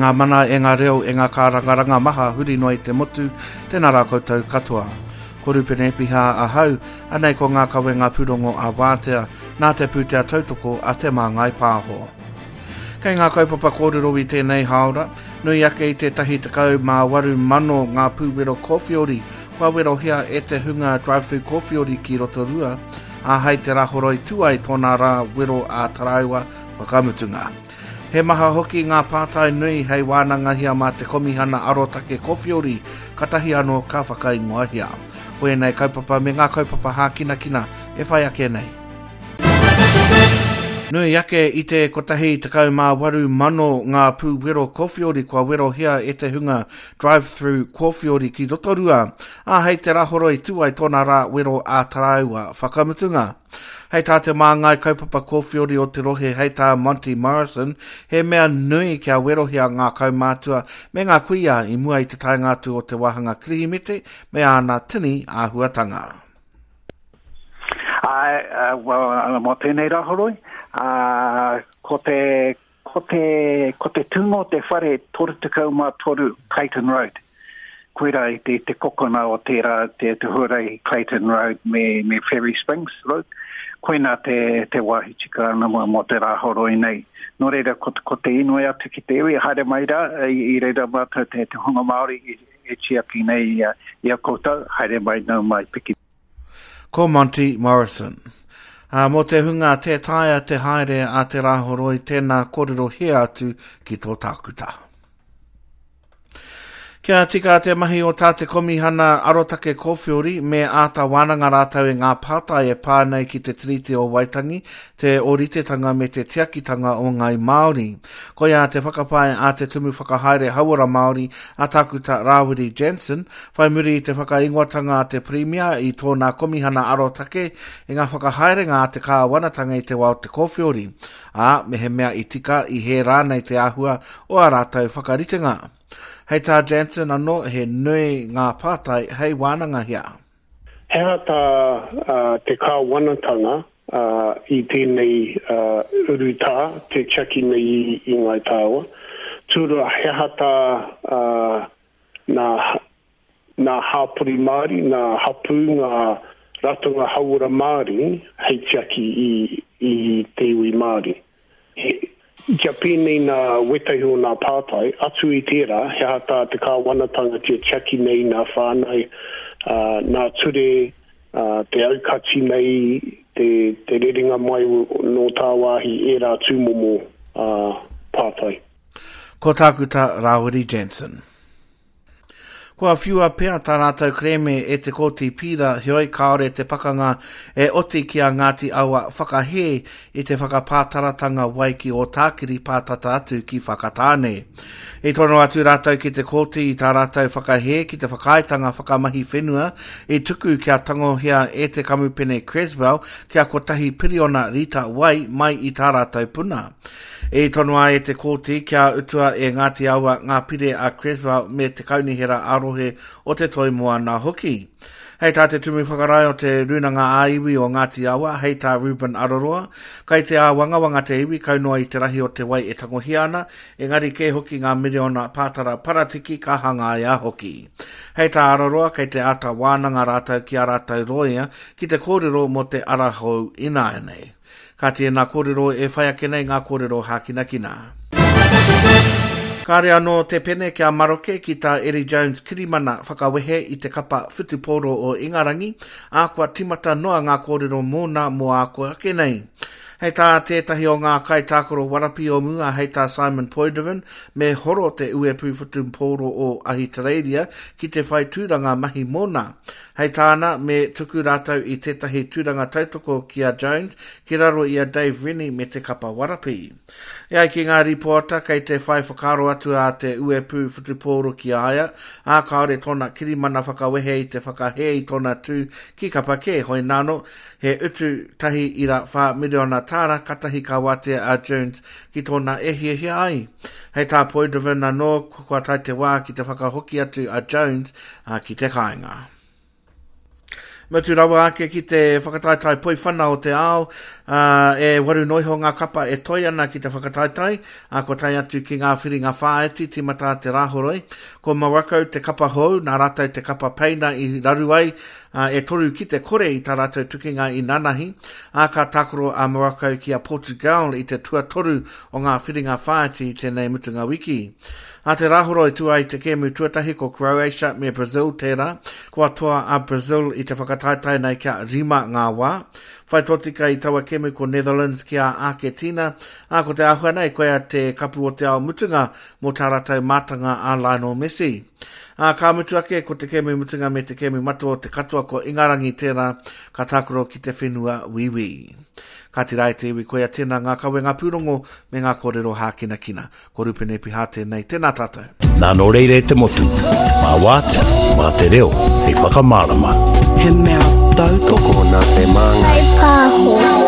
ngā mana, e ngā reo, e ngā kārangaranga maha huri noa i te motu, tēnā rā koutou katoa. Ko Rupene Epiha ahau, anei ko ngā kawenga pūrongo a Wātea, nā te pūtea tautoko a Te Māngai Pāho. Kei ngā kaupapa kōrero i tēnei hāora, nui ake i te 18,000 ngā pūwero kōwhiori kua werohia e te hunga drive-thru kōwhiori ki Rotorua, ā, hei te Rāhoroi tū ai tōna rā wero ā-taraiwa whakamutunga. He maha hoki ngā pātai nui hei wānangahia mā te Komihana Arotake Kowhiori, katahi anō ka whakaingoahia. Ko ēnei kaupapa me ngā kaupapa hākinakina e whai ake nei. Nui ake i te 18,000 ngā pūwero kowhiori kua werohia e te hunga drive-thru kōwhiori ki Rotorua, ā, hei te Rāhoroi tū ai tōna rā wero ā-taraiwa whakamutunga. Hei tā te māngai kaupapa kōwhiori o te rohe hei tā Monty Morrison, he mea nui kia werohia ngā kaumātua me ngā kuia i mua i te taenga atu o te wāhanga Kirihimete me āna tini āhuatanga. Āe, well, mō tēnei rāhoroi, ko te, ko te, ko te tūnga o te whare 33 Clayton Road. Koirā i te, te kokona o tērā, te, te huarahi Clayton Road me, me Fairy Springs Road. Koinā te, te wāhi tika ana mō, mō te rāhoroi nei. Nō reira, ko, ko te inoi atu ki te iwi, haere mai rā, i, i reira mātou te, te hunga Māori i, e tiaki nei i a, i a koutou, haere mai, nau mai, piki. Ko Monty Morrison. Ā, mō te hunga tē taea te haere a te Rāhoroi, tēnā kōrerohia atu ki tō tākuta. Kia tika te mahi o tā te Komihana Arotake Kōwhiori, me āta wānanga rātou i ngā pātai e pā nei ki te Tiriti o Waitangi, te ōritetanga me te tiakitanga o ngāi Māori. Koia te whakapae a te Tumu Whakahaere Hauora Māori, a Tākuta Rāwiri Jansen, Whai muri i te whakaingoatanga a te Pirimia i tōna Komihana Arotake i ngā whakahaerenga a te kāwanatanga i te wā o te kōwhiori, ā, mehemea i tika, i hē rānei te āhua o ā rātou whakaritenga. Hei tā Jansen anō, he nui ngā pātai hei wānangahia. He aha tā te kāwanatanga i tēnei urutā te tiaki nei i Ngāi Tāua? Tūrua, he aha tā Nā, nā hāpori Māori, nā hapū, ngā ratonga hauora Māori hei tiaki i, i te iwi Māori. He, kia pēnei nā wētahi o nā pātai, atu i tērā, he aha tā te kāwanatanga kia tiaki nei nā whānau, ā, nā ture, ā, te aukati nei, te, te rerenga mai nō tāwāhi ērā tūmomo, ā, pātai. Ko Tākuta Rāwiri Jansen. Kua whiua pea tā rātou kerēme e te Kōti Pīra, heoi kāore te pakanga e oti ki a Ngāti Awa whakahē i te whakapātaratanga wai ki Ōtākiri pātata atu ki Whakatāne. I tono atu rātou ki te kōti i tā rātou whakahē ki te whakaaetanga whakamahi whenua i tuku kia tangohia e te kamupene Creswell kia kotahi piriona rita wai mai i tā rātou puna. I tonoa e te Kōti kia utua e Ngāti Awa ngā pire a Creswell me te Kaunihera ā-Rohe o Te Toi Moana hoki. Hei tā te Tumu Whakarae o te Rūnanga ā-Iwi o Ngāti Awa, hei tā Reuben Araroa, kai te āwangawanga te iwi kau noa i te rahi o te wai e tangohia ana, engari kē hoki ngā miriona pātara paratiki ka hangaia hoki. Hei tā Araroa, kei te āta wānanga rātou ki ā rātou rōia ki te kōrero mō te ara hou ināianei. Ka tēnā kōrero e whai ake nei ngā kōrero hākinakina. Kāre anō te pene kia maroke ki tā Eddie Jones kirimana whakawehe i te kapa whutupōro o Ingarangi, ā, kua tīmata noa ngā kōrero mōna mō āko ake nei. Hei tā tētahi o ngā kaitākaro warapi o mua, hei tā Simon Poidevin, me horo te uepū whutupōro o Ahitereiria ki te whai tūranga mahi mōna. Hei tāna, me tuku rātou i tētahi tūranga tautoko ki a Jones ki raro i a Dave Rennie me te kapa warapi. E ai ki ngā rīpoata, kei te whai whakaaro atu a Te Uepū Whutupōro ki a ia, ā, kāore tōna kirimana whakawehe i te whakahē i tōna tū ki kapa kē, hoināno, he utu 1.4 miriona tāra katahi ka wātea a Jones ki tōna e hiahia ai. Hei tā Poidevin anō, kua tae te wā ki te whakahoki atu a Jones ki te kāinga. Mutu rawa ake ki te whakataetae poiwhana o te ao, Ā, e waru noa iho ngā kapa e toe ana ki te whakataetae, ā, kua tae atu ki ngā whiringa whāiti tīmata te Rāhoroi. Ko Morocco te kapa hou, nā rātou te kapa Peina i raru ai, ā, e toru ki te kore i tā rātou tukinga i nanahi, ā, ka tākaro a Morocco ki a Portugal i te tuatoru o ngā whiringa whāiti i tēnei mutunga wiki. Ā te Rāhoroi tū ai te kēmu tuatahi ko Croatia me Brazil tērā, kua toa a Brazil i te whakataetae nei kia rima ngā wā. Whai tōtika i taua kēmu ko Netherlands ki a Āketina, ā, ko te āhua nei koia te Kapu o te Ao mutunga mō tā rātou mātanga a Lionel Messi. Ā, ka mutu ake ko te kēmu mutunga me te kēmu matua o te katoa ko Ingarangi tērā ka tākaro ki te whenua Wīwī. Kāti rā e te iwi koia tēnā ngā kawenga pūrongo me ngā kōrero hākinakina. Ko Rupene Piha tēnei, tēnā tātou. Nā nō reira e te motu, mā wātea, mā te reo, hei whakamārama. He mea tautoko. Tokona te māngai. Whai pāho.